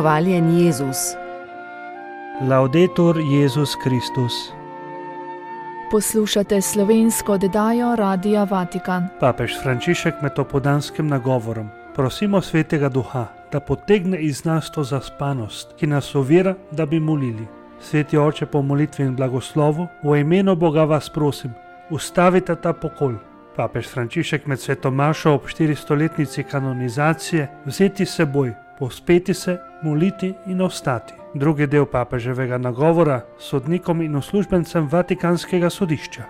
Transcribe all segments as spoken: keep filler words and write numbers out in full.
Hvaljen Jezus. Laudetur Jezus Kristus. Poslušate slovensko oddajo Radia Vatikan. Papež Frančišek med opoldanskim nagovorom prosimo Svetega Duha, da potegne iz nas to zaspanost, ki nas ovira, da bi molili. Sveti Oče, po molitvi in blagoslovu, v imenu Boga vas prosim, ustavite ta pokol. Papež Frančišek med sveto mašo ob štiristoletnici kanonizacije vzeti seboj, povzpeti se, moliti in ostati. Drugi del papeževega nagovora sodnikom in uslužbencem Vatikanskega sodišča.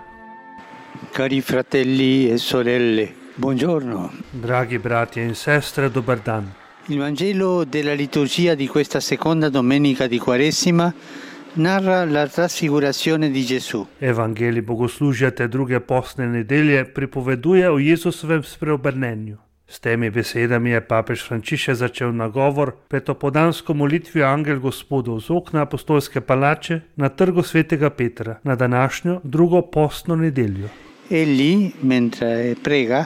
Cari fratelli e sorelle, buongiorno. Dragi bratje in sestre, dober dan. Il Vangelo della liturgia di questa seconda domenica di Quaresima narra la trasfigurazione di Gesù. Evangelij bogoslužja te druge postne nedelje pripoveduje o Jezusovem spreobrnenju. S temi besedami je papež Frančišek začel nagovor pred opoldansko molitvijo Angel Gospodov z okna apostolske palače na trgu svetega Petra na današnjo drugo postno nedeljo. Egli, mentre prega,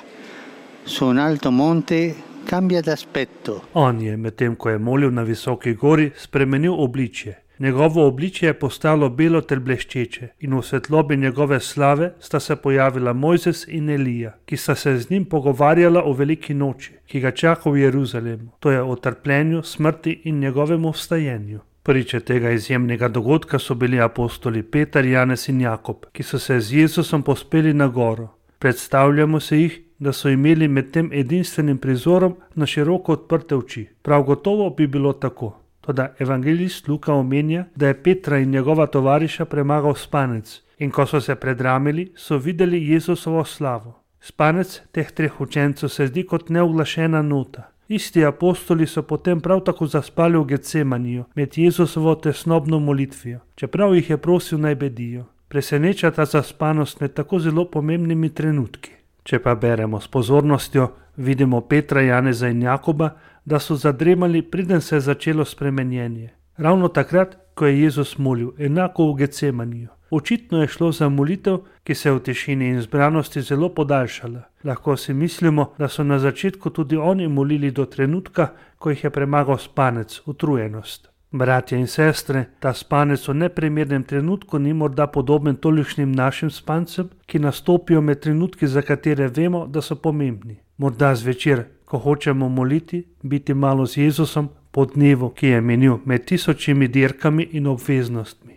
su un alto monte cambia d'aspetto. On je, medtem ko je molil na visoki gori, spremenil obličje. Njegovo obličje je postalo belo ter bleščeče in v svetlobi njegove slave sta se pojavila Mojzes in Elija, ki sta se z njim pogovarjala o veliki noči, ki ga čaka v Jeruzalemu, to je o trpljenju, smrti in njegovemu vstajenju. Priče tega izjemnega dogodka so bili apostoli Peter, Janez in Jakob, ki so se z Jezusom povzpeli na goro. Predstavljamo se jih, da so imeli med tem edinstvenim prizorom na široko odprte oči. Prav gotovo bi bilo tako. Toda evangelist Luka omenja, da je Petra in njegova tovariša premagal spanec in ko so se predramili, so videli Jezusovo slavo. Spanec teh treh učencev se zdi kot neuglašena nota. Isti apostoli so potem prav tako zaspali v Getsemaniju med Jezusovo tesnobno molitvijo, čeprav jih je prosil naj bedijo. Preseneča ta zaspanost med tako zelo pomembnimi trenutki. Če pa beremo s pozornostjo, vidimo Petra, Janeza in Jakoba, da so zadremali, preden se je začelo spremenjenje. Ravno takrat, ko je Jezus molil, enako v Getsemaniju. Očitno je šlo za molitev, ki se je v tišini in zbranosti zelo podaljšala. Lahko si mislimo, da so na začetku tudi oni molili do trenutka, ko jih je premagal spanec, utrujenost. Bratje in sestre, ta spanec v neprimernem trenutku ni morda podoben tolikšnim našim spancem, ki nastopijo med trenutki, za katere vemo, da so pomembni. Morda zvečer, ko hočemo moliti, biti malo z Jezusom po dnevu, ki je minil med tisočimi dirkami in obveznostmi.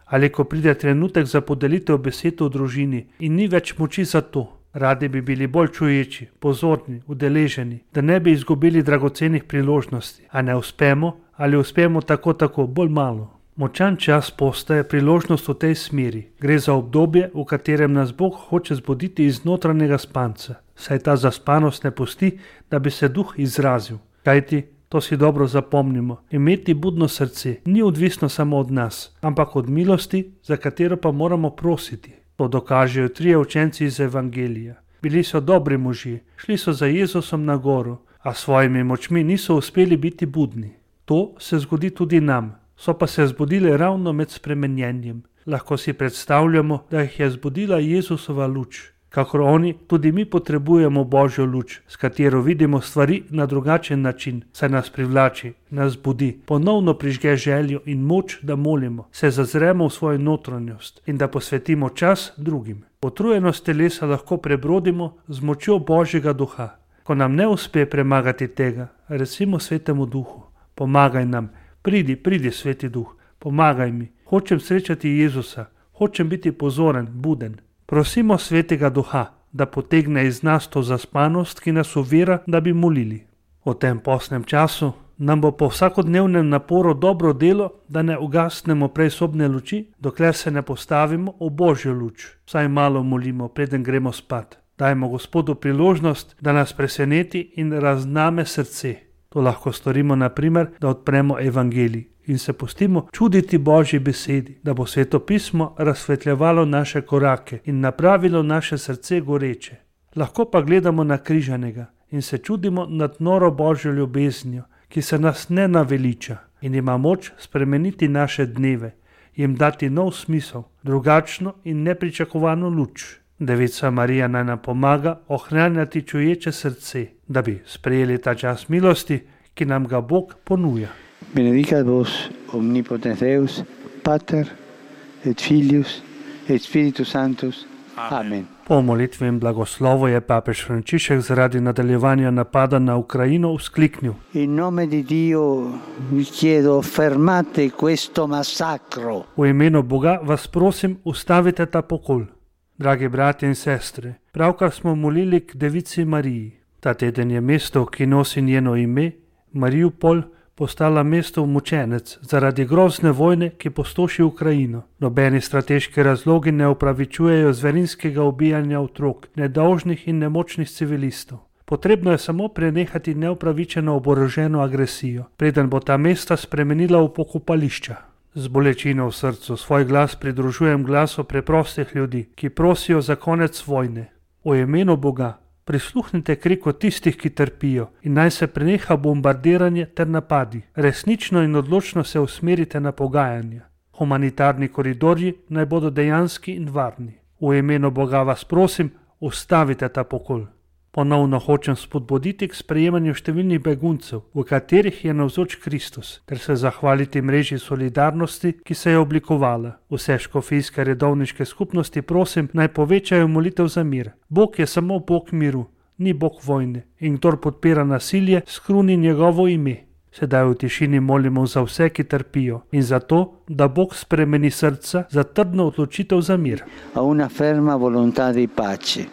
Ali ko pride trenutek za podelitev besed v družini in ni več moči za to. Radi bi bili bolj čuječi, pozorni, udeleženi, da ne bi izgubili dragocenih priložnosti, a ne uspemo ali uspemo tako tako bolj malo. Močan čas postaje priložnost v tej smeri. Gre za obdobje, v katerem nas Bog hoče zbuditi iz notranjega spanca, saj ta zaspanost ne pusti, da bi se duh izrazil. Kajti, to si dobro zapomnimo, imeti budno srce ni odvisno samo od nas, ampak od milosti, za katero pa moramo prositi. To dokažejo trije učenci iz Evangelija. Bili so dobri možje, šli so za Jezusom na goro, a svojimi močmi niso uspeli biti budni. To se zgodi tudi nam, so pa se zbudili ravno med spremenjenjem. Lahko si predstavljamo, da jih je zbudila Jezusova luč. Kakor oni, tudi mi potrebujemo Božjo luč, s katero vidimo stvari na drugačen način, saj nas privlači, nas budi, ponovno prižge željo in moč, da molimo, se zazremo v svojo notranjost in da posvetimo čas drugim. Utrujenost telesa lahko prebrodimo z močjo Božjega duha. Ko nam ne uspe premagati tega, recimo Svetemu duhu, pomagaj nam, pridi, pridi Sveti duh, pomagaj mi, hočem srečati Jezusa, hočem biti pozoren, buden. Prosimo Svetega Duha, da potegne iz nas to zaspanost, ki nas ovira, da bi molili. V tem postnem času nam bo po vsakodnevnem naporu dobro delo, da ne ugasnemo prej sobne luči, dokler se ne postavimo v Božjo luč. Vsaj malo molimo, preden gremo spat. Dajmo Gospodu priložnost, da nas preseneti in razname srce. To lahko storimo na primer, da odpremo Evangelij in se pustimo čuditi Božji besedi, da bo Sveto pismo razsvetljevalo naše korake in napravilo naše srce goreče. Lahko pa gledamo na križanega in se čudimo nad noro Božjo ljubeznijo, ki se nas ne naveliča in ima moč spremeniti naše dneve, jim dati nov smisel, drugačno in nepričakovano luč. Devica Marija naj nam pomaga ohranjati čuječe srce, da bi sprejeli ta čas milosti, ki nam ga Bog ponuja. Benedicat vos omnipotens Deus, Pater et Filius et Spiritus Sanctus. Amen. Po molitvi in blagoslovu je papež Frančišek zaradi nadaljevanja napada na Ukrajino vzkliknil: In nome di Dio vi chiedo fermate questo massacro. V imenu Boga vas prosim, ustavite ta pokol. Dragi bratje in sestre, pravkar smo molili k Devici Mariji. Ta teden je mesto, ki nosi njeno ime, Mariupol, postala mesto mučenec zaradi grozne vojne, ki postoši Ukrajino. Nobeni strateški razlogi ne upravičujejo zverinskega ubijanja otrok, nedolžnih in nemočnih civilistov. Potrebno je samo prenehati neupravičeno oboroženo agresijo, preden bo ta mesta spremenila v pokopališča. Z bolečino v srcu svoj glas pridružujem glasu preprostih ljudi, ki prosijo za konec vojne. O imenu Boga, prisluhnite kriku tistih, ki trpijo, in naj se preneha bombardiranje ter napadi. Resnično in odločno se usmerite na pogajanja. Humanitarni koridorji naj bodo dejanski in varni. V imenu Boga vas prosim, ustavite ta pokol. Ponovno hočem spodbuditi k sprejemanju številnih beguncev, v katerih je navzoč Kristus, ter se zahvaliti mreži solidarnosti, ki se je oblikovala. Vse škofijske redovniške skupnosti prosim, naj povečajo molitev za mir. Bog je samo Bog miru, ni Bog vojne, in kdor podpira nasilje, skruni njegovo ime. Sedaj v tišini molimo za vse, ki trpijo, in za to, da Bog spremeni srca za trdno odločitev za mir. A una ferma volontà di pace.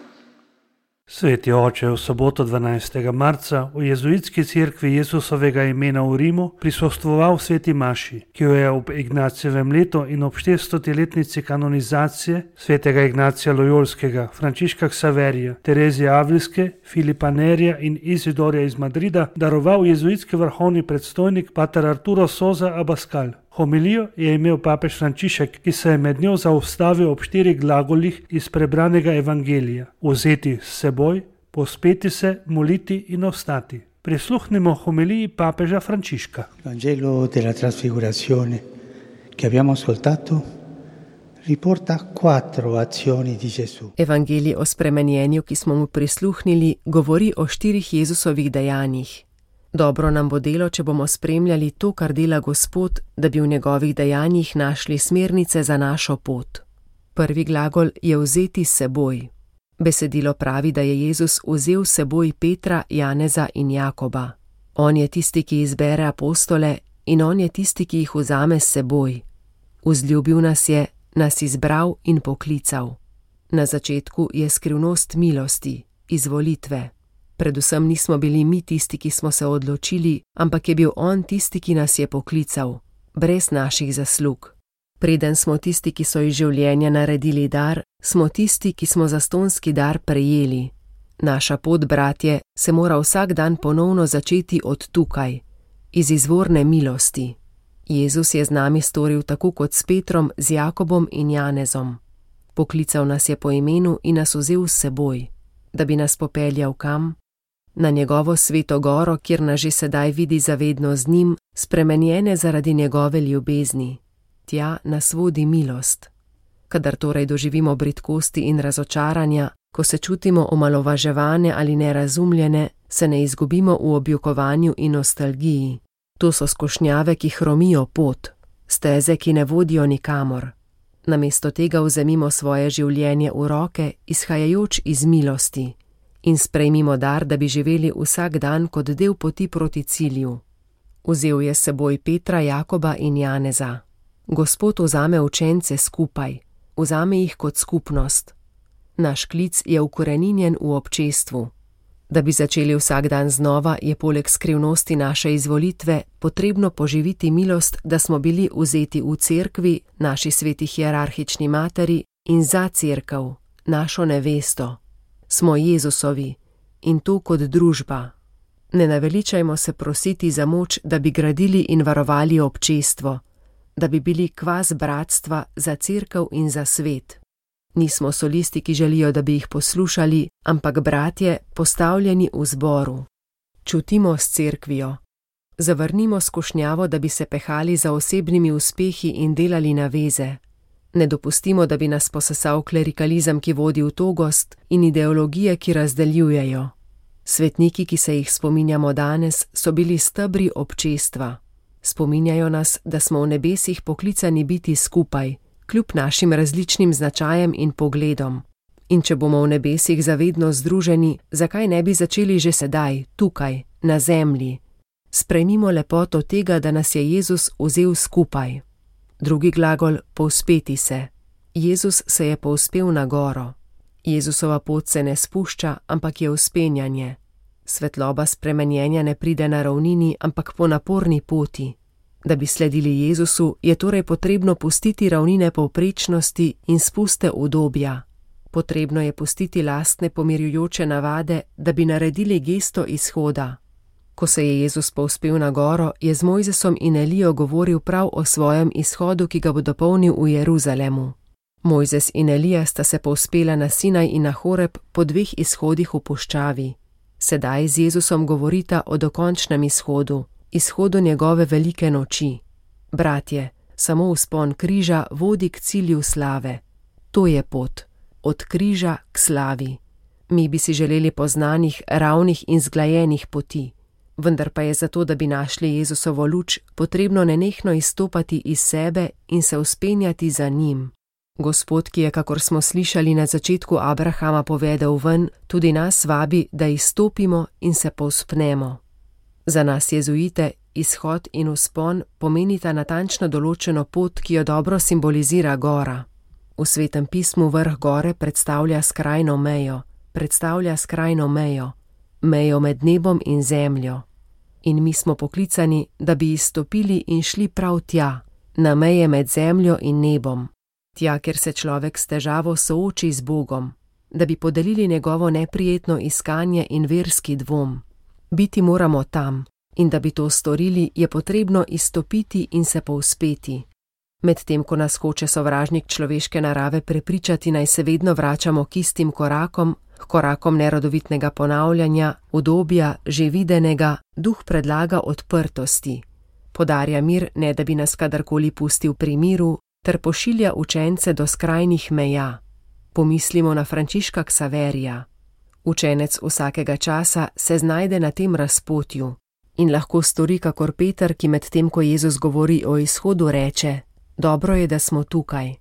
Sveti oče, v soboto dvanajstega marca v jezuitski cerkvi Jezusovega imena v Rimu prisostvoval sveti maši, ki jo je ob Ignacijevem letu in ob štiristoletnici kanonizacije svetega Ignacija Lojolskega, Frančiška Ksaverija, Terezije Avlijske, Filipa Nerija in Izidorja iz Madrida daroval jezuitski vrhovni predstojnik pater Arturo Sosa Abascal. Homilijo je imel papež Frančišek, ki se je med njo zaustavil ob štirih glagolih iz prebranega evangelija: vzeti s seboj, pospeti se, moliti in ostati. Prisluhnimo homiliji papeža Frančiška. Vangelo della Trasfigurazione che abbiamo ascoltato riporta quattro azioni di Gesù. Evangelij o spremenjenju, ki smo mu prisluhnili, govori o štirih Jezusovih dejanjih. Dobro nam bo delo, če bomo spremljali to, kar dela Gospod, da bi v njegovih dejanjih našli smernice za našo pot. Prvi glagol je vzeti s seboj. Besedilo pravi, da je Jezus vzel s seboj Petra, Janeza in Jakoba. On je tisti, ki izbere apostole, in on je tisti, ki jih vzame s seboj. Vzljubil nas je, nas izbral in poklical. Na začetku je skrivnost milosti, izvolitve. Predvsem nismo bili mi tisti, ki smo se odločili, ampak je bil on tisti, ki nas je poklical, brez naših zaslug. Preden smo tisti, ki so iz življenja naredili dar, smo tisti, ki smo zastonski dar prejeli. Naša pot, bratje, se mora vsak dan ponovno začeti od tukaj, iz izvorne milosti. Jezus je z nami storil tako kot s Petrom, z Jakobom in Janezom. Poklical nas je po imenu in nas vzel s seboj, da bi nas popeljal kam? Na njegovo sveto goro, kjer nas že sedaj vidi zavedno z njim, spremenjene zaradi njegove ljubezni. Tja nas vodi milost. Kadar torej doživimo bridkosti in razočaranja, ko se čutimo omalovaževane ali nerazumljene, se ne izgubimo v objokovanju in nostalgiji. To so skušnjave, ki hromijo pot, steze, ki ne vodijo nikamor. Namesto tega vzemimo svoje življenje v roke, izhajajoč iz milosti, in sprejmimo dar, da bi živeli vsak dan kot del poti proti cilju. Vzel je s seboj Petra, Jakoba in Janeza. Gospod vzame učence skupaj, vzame jih kot skupnost. Naš klic je ukoreninjen v občestvu. Da bi začeli vsak dan znova, je poleg skrivnosti naše izvolitve potrebno poživiti milost, da smo bili vzeti v cerkvi, naši sveti hierarhični materi, in za cerkev, našo nevesto. Smo Jezusovi, in to kot družba. Ne naveličajmo se prositi za moč, da bi gradili in varovali občestvo, da bi bili kvas bratstva za cerkev in za svet. Nismo solisti, ki želijo, da bi jih poslušali, ampak bratje, postavljeni v zboru. Čutimo s cerkvijo. Zavrnimo skušnjavo, da bi se pehali za osebnimi uspehi in delali naveze. Ne dopustimo, da bi nas posesal klerikalizem, ki vodi v togost, in ideologije, ki razdeljujejo. Svetniki, ki se jih spominjamo danes, so bili stebri občestva. Spominjajo nas, da smo v nebesih poklicani biti skupaj, kljub našim različnim značajem in pogledom. In če bomo v nebesih zavedno združeni, zakaj ne bi začeli že sedaj, tukaj, na zemlji? Sprejmimo lepoto tega, da nas je Jezus vzel skupaj. Drugi glagol, povzpeti se. Jezus se je povzpel na goro. Jezusova pot se ne spušča, ampak je vzpenjanje. Svetloba spremenjenja ne pride na ravnini, ampak po naporni poti. Da bi sledili Jezusu, je torej potrebno pustiti ravnine povprečnosti in spuste udobja. Potrebno je pustiti lastne pomirjujoče navade, da bi naredili gesto izhoda. Ko se je Jezus povzpel na goro, je z Mojzesom in Elijo govoril prav o svojem izhodu, ki ga bo dopolnil v Jeruzalemu. Mojzes in Elija sta se povzpela na Sinaj in na Horeb po dveh izhodih v puščavi. Sedaj z Jezusom govorita o dokončnem izhodu, izhodu njegove velike noči. Bratje, samo vzpon križa vodi k cilju slave. To je pot, od križa k slavi. Mi bi si želeli poznanih, ravnih in zglajenih poti. Vendar pa je zato, da bi našli Jezusovo luč, potrebno nenehno izstopati iz sebe in se vzpenjati za njim. Gospod, ki je, kakor smo slišali na začetku Abrahama, povedal ven, tudi nas vabi, da izstopimo in se povzpnemo. Za nas jezuite izhod in vzpon pomenita natančno določeno pot, ki jo dobro simbolizira gora. V Svetem pismu vrh gore predstavlja skrajno mejo, predstavlja skrajno mejo, mejo med nebom in zemljo. In mi smo poklicani, da bi izstopili in šli prav tja, na meje med zemljo in nebom. Tja, kjer se človek s težavo sooči z Bogom, da bi podelili njegovo neprijetno iskanje in verski dvom. Biti moramo tam, in da bi to storili, je potrebno izstopiti in se povzpeti. Medtem, ko nas hoče sovražnik človeške narave prepričati, naj se vedno vračamo k istim korakom, k korakom nerodovitnega ponavljanja, udobja, že videnega, duh predlaga odprtosti. Podarja mir, ne da bi nas kadarkoli pustil pri miru, ter pošilja učence do skrajnih meja. Pomislimo na Frančiška Ksaverija. Učenec vsakega časa se znajde na tem razpotju in lahko stori kakor Peter, ki med tem, ko Jezus govori o izhodu, reče: dobro je, da smo tukaj.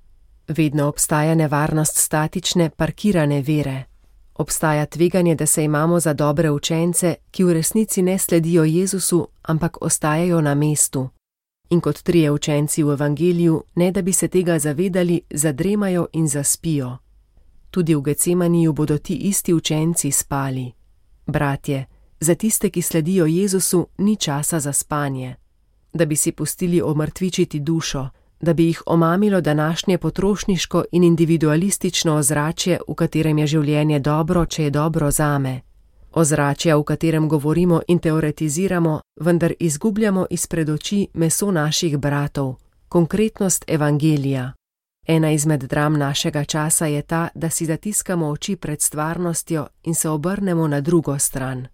Vedno obstaja nevarnost statične, parkirane vere. Obstaja tveganje, da se imamo za dobre učence, ki v resnici ne sledijo Jezusu, ampak ostajajo na mestu. In kot trije učenci v evangeliju, ne da bi se tega zavedali, zadremajo in zaspijo. Tudi v Getsemaniju bodo ti isti učenci spali. Bratje, za tiste, ki sledijo Jezusu, ni časa za spanje. Da bi si pustili omrtvičiti dušo, da bi jih omamilo današnje potrošniško in individualistično ozračje, v katerem je življenje dobro, če je dobro zame. Ozračja, v katerem govorimo in teoretiziramo, vendar izgubljamo izpred oči meso naših bratov, konkretnost evangelija. Ena izmed dram našega časa je ta, da si zatiskamo oči pred stvarnostjo in se obrnemo na drugo stran.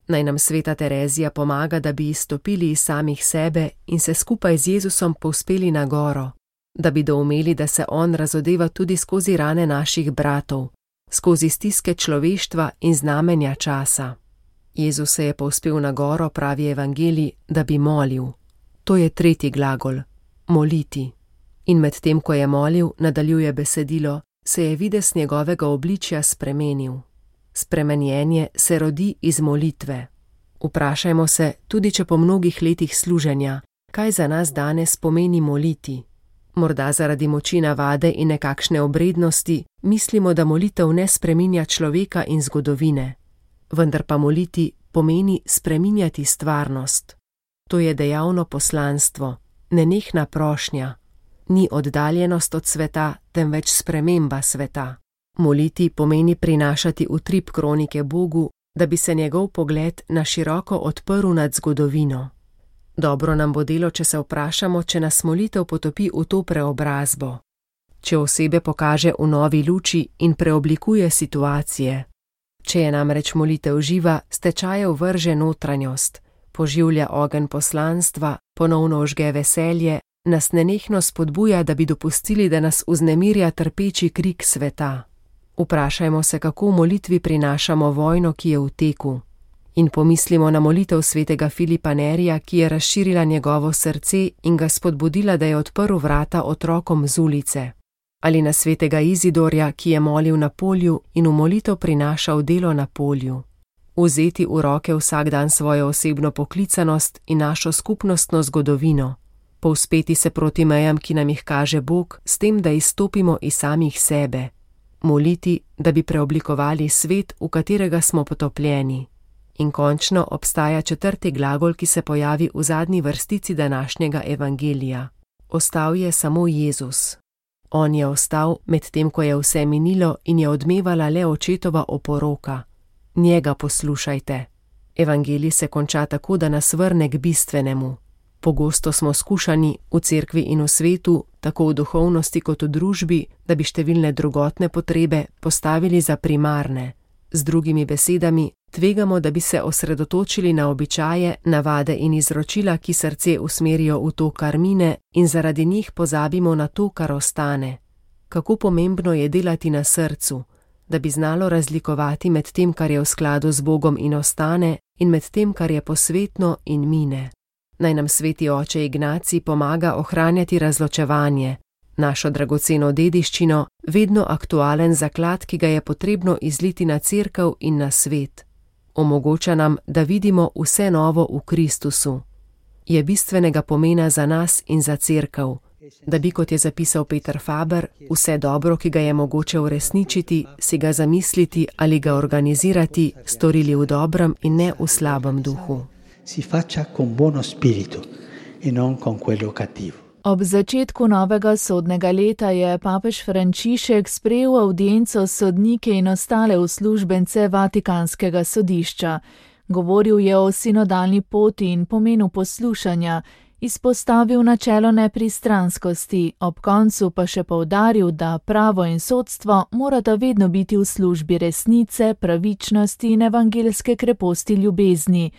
Naj nam sveta Terezija pomaga, da bi izstopili iz samih sebe in se skupaj z Jezusom povzpeli na goro, da bi doumeli, da se on razodeva tudi skozi rane naših bratov, skozi stiske človeštva in znamenja časa. Jezus se je povzpel na goro, pravi evangelij, da bi molil. To je tretji glagol, moliti. In med tem, ko je molil, nadaljuje besedilo, se je videz njegovega obličja spremenil. Spremenjenje se rodi iz molitve. Vprašajmo se, tudi če po mnogih letih služenja, kaj za nas danes pomeni moliti. Morda zaradi moči navade in nekakšne obrednosti mislimo, da molitev ne spreminja človeka in zgodovine. Vendar pa moliti pomeni spreminjati stvarnost. To je dejavno poslanstvo, nenehna prošnja. Ni oddaljenost od sveta, temveč sprememba sveta. Moliti pomeni prinašati utrip kronike Bogu, da bi se njegov pogled na široko odprl nad zgodovino. Dobro nam bo delo, če se vprašamo, če nas molitev potopi v to preobrazbo. Če osebe pokaže v novi luči in preoblikuje situacije. Če je namreč molitev živa, s tečajev vrže notranjost, poživlja ogenj poslanstva, ponovno ožge veselje, nas nenehno spodbuja, da bi dopustili, da nas vznemirja trpeči krik sveta. Vprašajmo se, kako v molitvi prinašamo vojno, ki je v teku. In pomislimo na molitev svetega Filipa Nerija, ki je razširila njegovo srce in ga spodbudila, da je odprl vrata otrokom z ulice. Ali na svetega Izidorja, ki je molil na polju in v molitev prinašal delo na polju. Vzeti v roke vsak dan svojo osebno poklicanost in našo skupnostno zgodovino. Povzpeti se proti mejam, ki nam jih kaže Bog, s tem, da izstopimo iz samih sebe. Moliti, da bi preoblikovali svet, v katerega smo potopljeni. In končno obstaja četrti glagol, ki se pojavi v zadnji vrstici današnjega evangelija. Ostal je samo Jezus. On je ostal, medtem ko je vse minilo in je odmevala le očetova oporoka. Njega poslušajte. Evangelij se konča tako, da nas vrne k bistvenemu. Pogosto smo skušani v cerkvi in v svetu, tako v duhovnosti kot v družbi, da bi številne drugotne potrebe postavili za primarne. Z drugimi besedami, tvegamo, da bi se osredotočili na običaje, navade in izročila, ki srce usmerijo v to, kar mine, in zaradi njih pozabimo na to, kar ostane. Kako pomembno je delati na srcu, da bi znalo razlikovati med tem, kar je v skladu z Bogom in ostane, in med tem, kar je posvetno in mine. Naj nam sveti oče Ignacij pomaga ohranjati razločevanje, našo dragoceno dediščino, vedno aktualen zaklad, ki ga je potrebno izliti na cerkev in na svet. Omogoča nam, da vidimo vse novo v Kristusu. Je bistvenega pomena za nas in za cerkev, da bi, kot je zapisal Peter Faber, vse dobro, ki ga je mogoče uresničiti, si ga zamisliti ali ga organizirati, storili v dobrem in ne v slabem duhu. Si faccia con buono spirito e non con quello cattivo. Ob začetku novega sodnega leta je papež Frančišek sprejel avdienco s sodnike in ostale uslužbence Vatikanskega sodišča. Govoril je o sinodalni poti in pomenu poslušanja, izpostavil načelo nepristranskosti, ob koncu pa še poudaril, da pravo in sodstvo morata vedno biti v službi resnice, pravičnosti in evangelske kreposti ljubezni.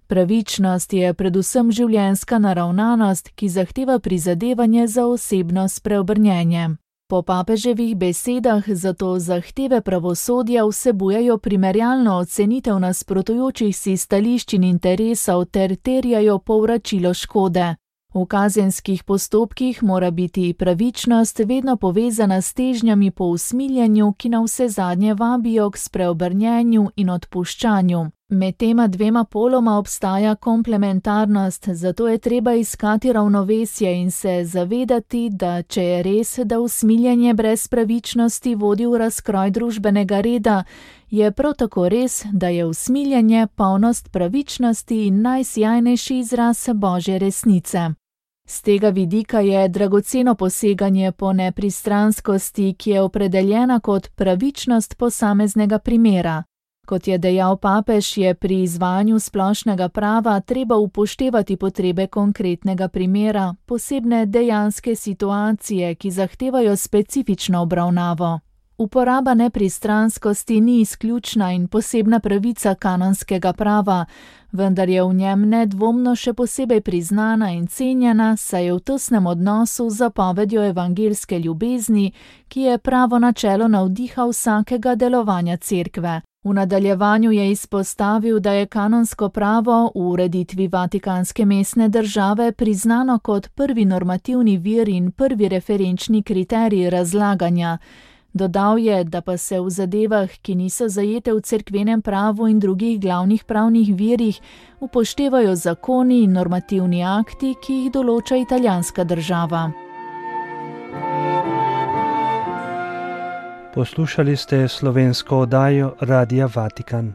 Pravičnost je predvsem življenjska naravnanost, ki zahteva prizadevanje za osebno spreobrnjenje. Po papeževih besedah zato zahteve pravosodja vsebujejo primerjalno ocenitev nasprotujočih si stališč in interesov ter terjajo povračilo škode. V kazenskih postopkih mora biti pravičnost vedno povezana s težnjami po usmiljenju, ki navsezadnje vabijo k spreobrnjenju in odpuščanju. Med tema dvema poloma obstaja komplementarnost, zato je treba iskati ravnovesje in se zavedati, da če je res, da usmiljenje brez pravičnosti vodi v razkroj družbenega reda, je prav tako res, da je usmiljenje polnost pravičnosti in najsjajnejši izraz Božje resnice. Z tega vidika je dragoceno poseganje po nepristranskosti, ki je opredeljena kot pravičnost posameznega primera. Kot je dejal papež, je pri izvajanju splošnega prava treba upoštevati potrebe konkretnega primera, posebne dejanske situacije, ki zahtevajo specifično obravnavo. Uporaba nepristranskosti ni izključna in posebna pravica kanonskega prava, vendar je v njem nedvomno še posebej priznana in cenjena, saj je v tesnem odnosu z zapovedjo evangelske ljubezni, ki je pravo načelo navdiha vsakega delovanja cerkve. V nadaljevanju je izpostavil, da je kanonsko pravo v ureditvi Vatikanske mestne države priznano kot prvi normativni vir in prvi referenčni kriterij razlaganja. Dodal je, da pa se v zadevah, ki niso zajete v cerkvenem pravu in drugih glavnih pravnih virih, upoštevajo zakoni in normativni akti, ki jih določa italijanska država. Poslušali ste slovensko oddajo Radia Vatikan.